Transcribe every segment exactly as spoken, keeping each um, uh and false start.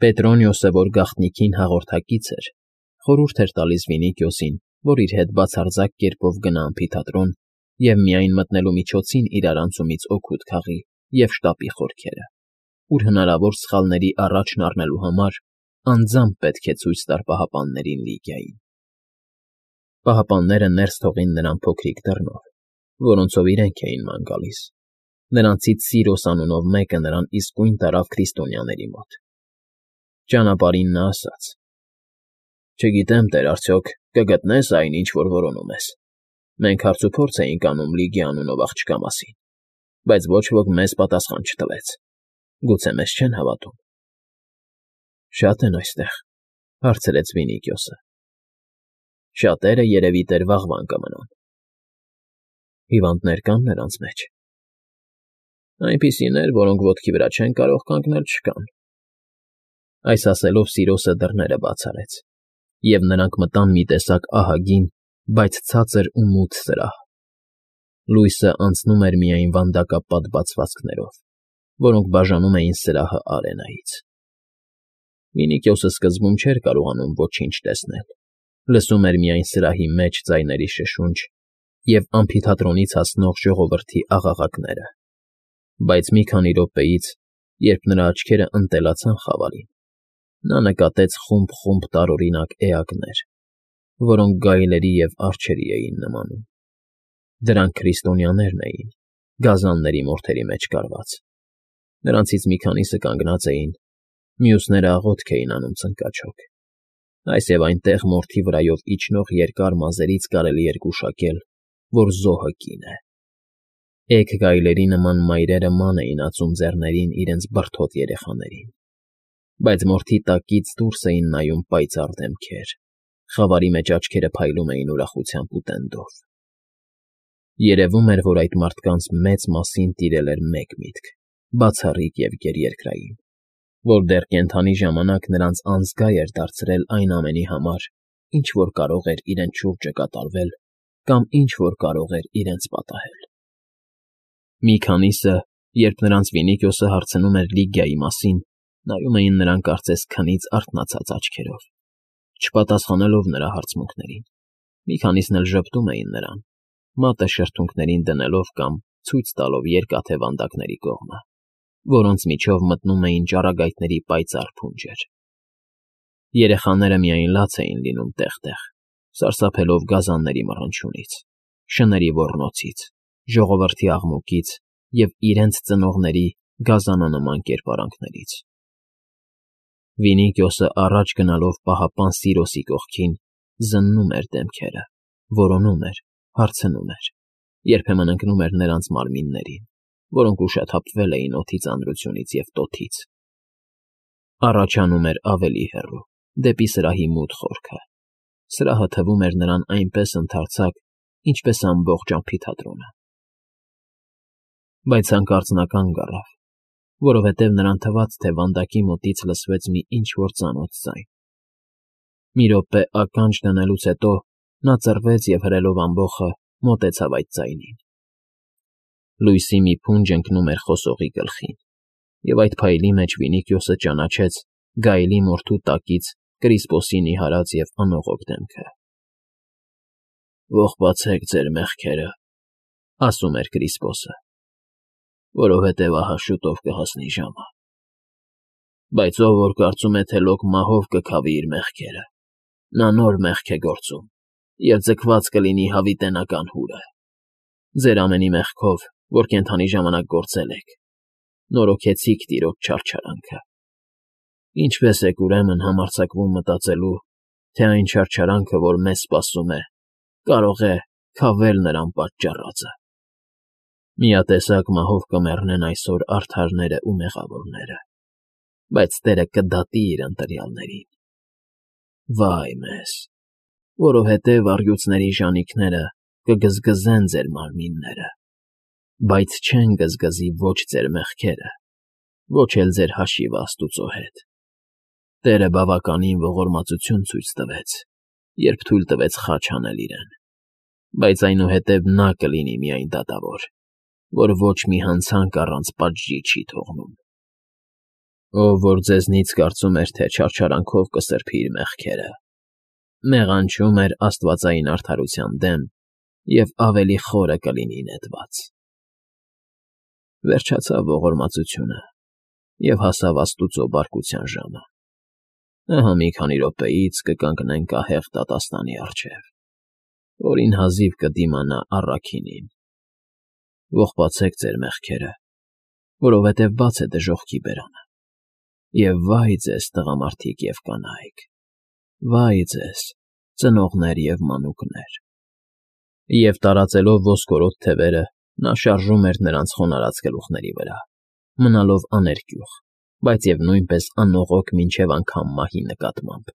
Պետրոնիոսը, որ գաղտնիքին հաղորդակից էր, խորհուրդ էր տալիս Վինիքիոսին, որ իր հետ բացարձակ կերպով գնա ամֆիթատրոն և միայն մտնելու միջոցին իրարանցումից օգուտ քաղի և շտապի խորքերը, ուր հնարավոր սխալների առաջն առնելու համար անձամբ պետք է ցույց տար պահապաններին Լիգիային։ Պահապանները ներս թողին նրան փոքրիկ դռնով, որոնցով իրենք էին ման գալիս։ Նրանցից Սիրոս անունով մեկը նրան իսկույն տարավ քրիստոնյաների մոտ։ Ճանապարհին նա ասաց. «Չգիտեմ, տեր, արդյոք կգտնե՞ս այն, ինչ որ որոնում ես։ Մենք հարցուփորձ էինք անում Լիգիա անունով աղջկա մասին, բայց ոչ ոք մեզ պատասխան չտվեց։ Գուցե մեզ չեն հավատում»։ «Շա՞տ են այստեղ,֊ հարցրեց Վինիքիոսը։ «Շատերը երևի տեր վաղվան կմնան»։ «Հիվանդներ կան նրանց մեջ»։ «Այնպիսիներ, որոնք ոտքի վրա չեն կարող կանգնել, չկան»։ Այս ասելով Սիրոսը դռները բաց արեց, և նրանք մտան մի տեսակ ահագին, բայց ցածր ու մութ սրահ։ Լույսը անցնում էր միայն վանդակապատ բացվածքներով, որոնք բաժանում էին սրահը արենայից։ Վինիքիոսը սկզբում չէր կարողանում ոչինչ տեսնել, լսում էր միայն սրահի մեջ ձայների շշունչ և ամֆիթատրոնից հասնող ժողովրդի աղաղակները, բայց մի քանի րոպեից, երբ նրա աչքերը ընտելացան խավարին, նա նկատեց խումբ֊խումբ տարօրինակ էակներ, որոնք գայլերի և արջերի էին նմանում։ Դրանք քրիստոնյաներն էին, գազանների մորթերի մեջ կառված։ Նրանցից մի քանիսը կանգնած էին, մյուսները աղոթք էին անում ծնկաչոք։ Այս և այնտեղ մորթի վրայով իջնող երկար մազերից կարելի էր գուշակել, որ զոհը կին է։ Էգ գայլերի նման մայրերը ման էին ածում ձեռներին իրենց բրդոտ երեխաներին, բայց մորթի տակից դուրս էին նայում պայծառ դեմքեր, խավարի մեջ աչքերը փայլում էին ուրախությամբ ու տենդով։ Երևում էր, որ այդ մարդկանց մեծ մասին տիրել էր մեկ միտք, բացառիկ և գերերկրային, որ դեռ կենդանի ժամանակ նրանց անզգա էր դարձրել այն ամենի համար, ինչ որ կարող էր իրենց շուրջը կատարվել կամ ինչ որ կարող էր իրենց պատահել։ Մի քանիսը, երբ նրանց Վինիքիոսը հարցնում էր Լիգիայի մասին, նայում էին նրան կարծես քնից արթնացած աչքերով, չպատասխանելով նրա հարցմունքներին։ Մի քանիսն էլ ժպտում էին նրան, մատը շրթունքներին դնելով կամ ցույց տալով երկաթե վանդակների կողմը, որոնց միջով մտնում էին ճառագայթների պայծառ փունջեր։ Երեխաները միայն լաց էին լինում տեղ֊տեղ, սարսափելով գազանների մռնչյունից, շների ոռնոցից, ժողովրդի աղմուկից և իրենց ծնողների գազանանման կերպարանքներից։ Վինիքիոսը առաջ գնալով պահապան Սիրոսի կողքին զննում էր դեմքերը, որոնում էր, հարցնում էր, երբեմն ընկնում էր նրանց մարմիններին, որոնք ուշաթափվել էին օդի ծանրությունից և տոթից։ Առաջ անում էր ավելի հեռու, դեպի սրահի մութ խորքը։ Սրահը թվում էր նրան այնպես ընդարձակ, ինչպես ամբողջ ամֆիթատրոնը։ Բայց հանկարծ նա կանգ առավ, որովհետև նրան թվաց, թե վանդակի մոտից լսվեց մի ինչ֊որ ծանոթ ձայն։ Մի րոպե ականջ դնելուց հետո նա ծռվեց և հրելով ամբոխը մոտեցավ այդ ձայնին։ Լույսի մի փունջ ընկնում էր խոսողի գլխին, և այդ փայլի մեջ Վինիքիոսը ճանաչեց գայլի մորթու տակից Կրիսպոսի նիհարած և անողոք դեմքը։ «Ողբացեք ձեր մեղքերը,֊ ասում էր Կրիսպոսը,֊ որովհետև ահա շուտով կհասնի ժամը։ Բայց ով որ կարծում է, թե լոկ մահով կքավի իր մեղքերը, նա նոր մեղք է գործում և ձգված կլինի հավիտենական հուրը։ Ձեր ամենի մեղքով, որ կենդանի ժամանակ գործել եք, նորոգեցիք տիրոջ չարչարանքը։ Ինչպե՞ս եք, ուրեմն, համարձակվում մտածելու, թե այն չարչարանքը, որ մեզ սպասում է, կարող է քավել նրան պատճառածը։ Միատեսակ մահով կմեռնեն այսօր արդարները ու մեղավորները, բայց Տերը կդատի իր ընտրյալներին։ Վա՜յ մեզ, որովհետև առյուծների ժանիքները կգզգզեն ձեր մարմինները, բայց չեն գզգզի ոչ ձեր մեղքերը, ոչ էլ ձեր հաշիվը Աստուծո հետ։ Տերը բավականին ողորմածություն ցույց տվեց, երբ թույլ տվեց խաչ հանել իրեն, բայց այնուհետև նա կլինի միայն դատավոր, որ ոչ մի հանցանք առանց պատժի չի թողնում։ Ով որ ձեզնից կարծում էր, թե չարչարանքով կսրբի իր մեղքերը, մեղանչում էր աստվածային արդարության դեմ և ավելի խորը կլինի նետված։ Վերջացավ ողորմածությունը և հասավ աստուծո բարկության ժամը։ Ահա մի քանի րոպեից կկանգնենք ահեղ դատաստանի առջև, որին հազիվ կդիմանա առաքինին։ Ողբացեք ձեր մեղքերը, որովհետև բաց է դժոխքի բերանը, և վա՜յ ձեզ, տղամարդիկ և կանայք, վա՜յ ձեզ, ծնողներ և մանուկներ։ Եվ տարածելով ոսկորոտ թևերը, նա շարժում էր նրանց խոնարհած գլուխների վրա, մնալով աներկյուղ, բայց և նույնպես անողոք մինչև անգամ մահի նկատմամբ,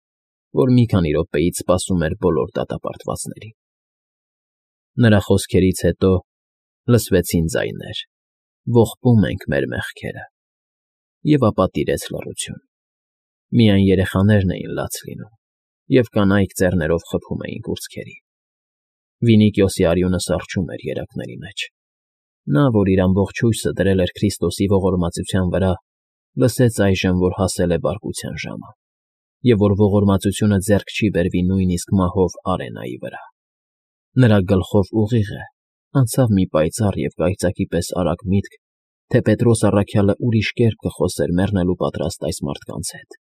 որ մի քանի րոպեից սպասում էր բոլոր դատապարտվածներին։ Նրա խոսքերից հետո լսվեցին ձայներ. «Ողբում ենք մեր մեղքերը», և ապա տիրեց լռություն։ Միայն երեխաներն էին լաց լինում, և կանայք ձեռներով խփում էին կուրծքերի։ Վինիկիոսի արյունը սառչում էր երակների մեջ։ Նա, որ իր ամբողջ հույսը դրել էր Քրիստոսի ողորմածության վրա, լսեց այժմ, որ հասել է բարկության ժամը, և որ ողորմածությունը ձեռք չի բերվի նույնիսկ մահով արենայի վրա։ Նրա գլխով ուղիղ է անցավ մի պայծառ և կայծակի պես արագ միտք, թե Պետրոս առաքյալը ուրիշ կերպ կխոսեր մեռնելու պատրաստ այս մարդկանց հետ։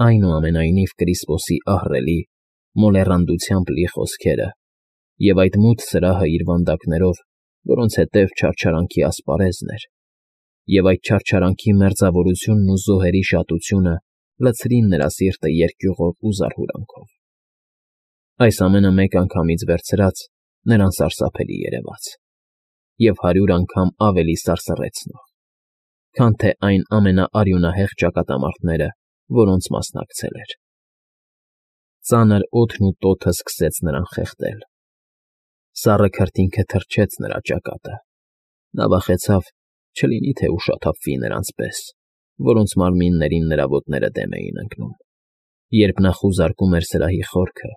Այնուամենայնիվ Կրիսպոսի ահռելի, մոլեռանդությամբ լի խոսքերը և այդ մութ սրահը իր վանդակներով, որոնց հետև չարչարանքի ասպարեզն էր, և այդ չարչարանքի մերձավորությունն ու զոհերի շատությունը լցրին նրա սիրտը երկյուղով ու զարհուրանքով։ Այս ամենը մեկ անգամից վերցրած նրան սարսափելի երևաց, և հարյուր անգամ ավելի սարսռեցնող, քան թե այն ամենաարյունահեղ ճակատամարտերը, որոնց մասնակցել էր։ Ծանր օդն ու տոթը սկսեց նրան խեղդել։ Սառը քրտինքը թրջեց նրա ճակատը։ Նա վախեցավ, չլինի թե ուշաթափվի նրանց պես, որոնց մարմիններին նրա ոտները դեմ էին ընկնում, երբ նա խուզարկում էր սրահի խորքը,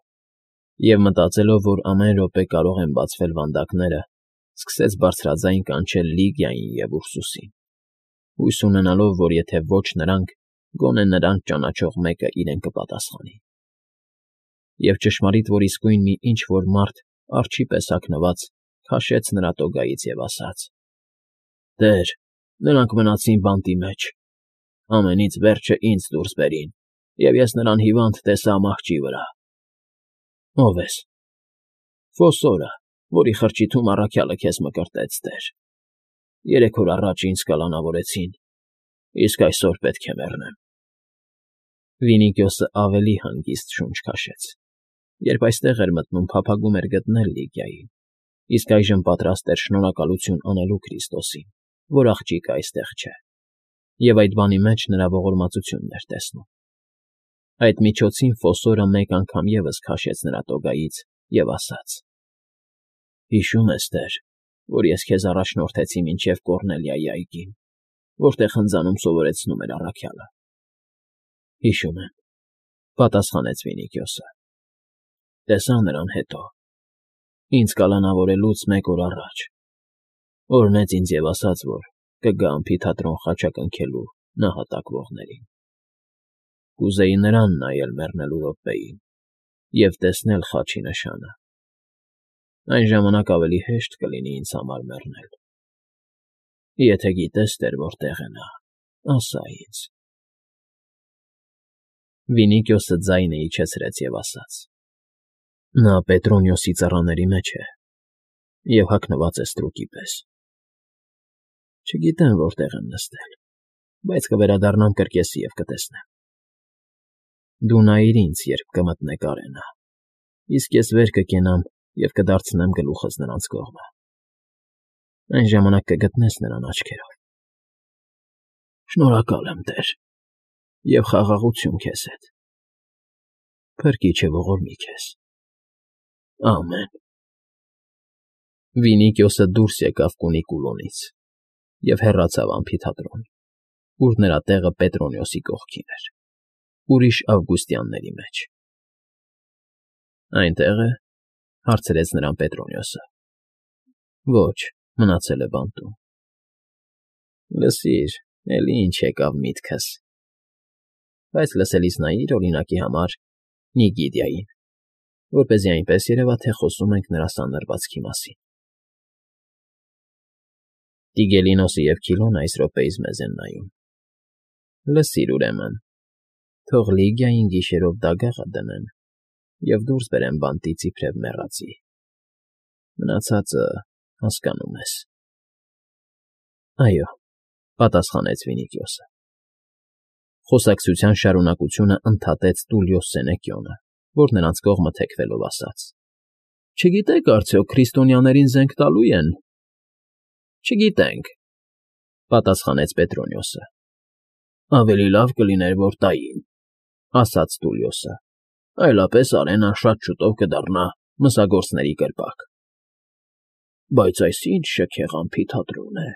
և մտածելով, որ ամեն րոպե կարող են բացվել վանդակները, սկսեց բարձրաձայն կանչել Լիգիային և Ուրսուսին, հույս ունենալով, որ եթե ոչ նրանք, գոնե նրանց ճանաչող մեկը իրեն կպատասխանի։ Եվ ճշմարիտ որ իսկույն մի ինչ֊որ մարդ, արջի պես հագնված, քաշեց նրա տոգայից և ասաց. «Տեր, նրանք մնացին բանտի մեջ։ Ամենից վերջը ինձ դուրս բերին, և ես նրան հիվանդ տեսա մահճի վրա»։ ֊ Ո՞վ ես։ ֊ Ֆոսորը, որի խրճիթում առաքյալը քեզ մկրտեց, տեր. երեք օր առաջ ինձ կալանավորեցին, իսկ այսօր պետք է մեռնեմ։ Վինիկիոսը ավելի հանգիստ շունչ քաշեց, երբ այստեղ էր մտնում փափագում էր գտնել Լիգիային, իսկ այժմ պատրաստ էր շնորհակալություն անելու Քրիստոսին, որ աղջիկը այստեղ չէ, և այդ բանի մեջ նրա ողորմածությունն էր տեսնում։ Այդ միջոցին Ֆոսորը մեկ անգամ ևս քաշեց նրա տոգայից և ասաց. «Հիշո՞ւմ ես, տեր, որ ես քեզ առաջնորդեցի մինչև Կոռնելիայի այգին, որտեղ հնձանում սովորեցնում էր առաքյալը»։ ֊ Հիշում եմ,֊ պատասխանեց Վինիկիոսը։ ֊ Տեսա նրան հետո, ինձ կալանավորելուց մեկ օր առաջ, օրհնեց ինձ և ասաց, որ կգա ամֆիթատրոն խաչակնքելու նահատակվողներին։ Կուզեի նրան նայել մեռնելու րոպեին և տեսնել խաչի նշանը։ Այն ժամանակ ավելի հեշտ կլինի ինձ համար մեռնել։ Եթե գիտես, տեր, որտեղ է նա, ասա ինձ։ Վինիկիոսը ձայնը իջեցրեց և ասաց. «Նա Պետրոնիոսի ծառաների մեջ է և հագնված է ստրուկի պես։ Չգիտեմ որտեղ են նստել, բայց կվերադառնամ կրկեսի և կտեսնեմ։ Դու նայիր ինձ, երբ կմտնեք արենա, իսկ ես վեր կկենամ և կդարձնեմ գլուխս նրանց կողմը։ Այն ժամանակ կգտնես նրան աչքերով։ Շնորհակալ եմ, տեր, և խաղաղություն քեզ հետ։ Փրկիչը ողորմի քեզ։ Ամեն»։ Վինիկիոսը դուրս եկավ Կունիկուլոնից և հեռացավ ամֆիթատրոն, ուր նրա տեղը Պետրոնիոսի կողքին էր, ուրիշ ավգուստյանների մեջ։ ֊ Այնտե՞ղ է,֊ հարցրեց նրան Պետրոնիոսը։ ֊ Ոչ, մնացել է բանտում։ ֊ Լսիր, Էլի ինչ եկավ միտքս… Բայց լսելիս նայիր, օրինակի համար, Նիգիդիային, որպեսզի այնպես երևա, թե խոսում ենք նրա սանրվածքի մասին… Տիգելինոսը և Քիլոնը այս րոպեիս մեզ են նայում… Լսիր, ուրեմն, թող Լիգիային գիշերով դագաղը դնեն և դուրս բերեն բանտից իբրև մեռածի, մնացածը… հասկանում ես… ֊ Այո,֊ պատասխանեց Վինիքիոսը… Խոսակցության շարունակությունը ընդհատեց Տուլիոս Սենեկիոնը, որ նրանց կողմը թեքվելով ասաց. ֊ Չգիտեք արդյոք քրիստոնյաներին զենք տալո՞ւ են։ ֊ Չգիտենք,֊ պատասխանեց Պետրոնիոսը։ ֊ Ավելի լավ կլիներ, որ տային,֊ ասաց Տուլիոսը,֊ այլապես Արենան շատ շուտով կդառնա մսագործների կրպակ։ ֊ Բայց այս ի՞նչ շքեղ անփիթատրոն է։